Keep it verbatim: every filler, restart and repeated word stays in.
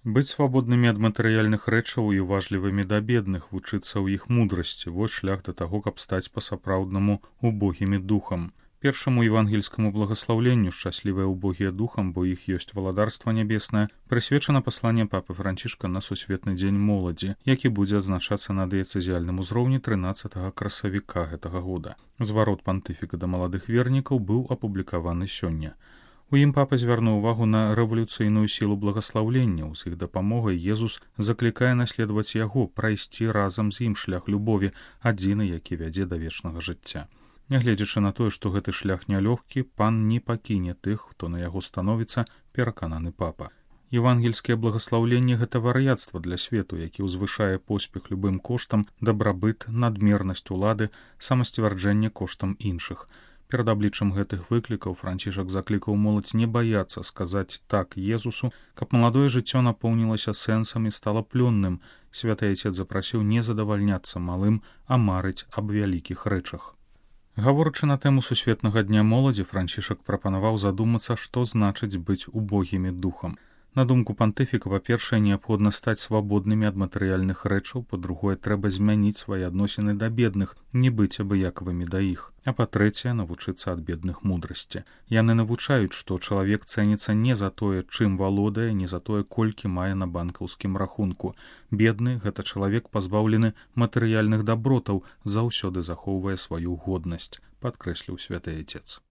Быць свабоднымі ад матэрыяльных рэчаў і уважлівымі да бедных, вучыцца ў іх мудрасці, вось шлях да таго, каб стаць па-сапраўднаму убогімі духам. Першаму евангельскаму благаслаўленню «Шчаслівыя ўбогія духам, бо іх ёсць валадарства нябеснае» прысвечана пасланне папы Францішка на сусветны дзень моладзі, які будзе адзначацца на дыяцэзіяльным узроўні трынаццатага красавіка гэтага года. Зварот пантыфіка да маладых вернікаў быў апублікаваны сёння. У ім папа звярнуў увагу на рэвалюцыйную сілу благаслаўлення. З іх дапамогай Езус заклікае наследаваць яго, прайсці разам з ім шлях любові, адзіны, які вядзе да вечнага жыцця. Нягледзячы на тое, што гэты шлях нялёгкі, пан не пакіне тых, хто на яго становіцца, перакананы папа. Евангельскае благаслаўленне – гэта вар'яцтва для свету, які ўзвышае поспех любым коштам, дабрабыт, надмернасць улады, самасцвярджэнне коштам іншых. Перад абліччам гэтых выклікаў Францішак заклікаў моладзь не баяцца сказаць «так» Езусу, каб маладое жыццё напоўнілася сэнсам і стала плённым. Святы Айцец запрасіў не задавальняцца малым, а марыць аб вялікіх рэчах. Гаворачы на тэму сусветнага дня моладзі, Францішак прапанаваў задумацца, што значыць быць убогімі духам. На думку пантыфіка, па-першае, неабходна стаць свабоднымі ад матэрыяльных рэчаў, па-другое, трэба змяніць свае адносіны да бедных, не быць абыякавымі да іх, а па-трэцяе, навучыцца ад бедных мудрасці. Яны навучаюць, што чалавек цэніцца не за тое, чым валодае, не за тое, колькі мае на банкаўскім рахунку. Бедны – гэта чалавек, пазбаўлены матэрыяльных дабротаў, заўсёды захоўвае сваю годнасць, падкрэсліў святы Айцец.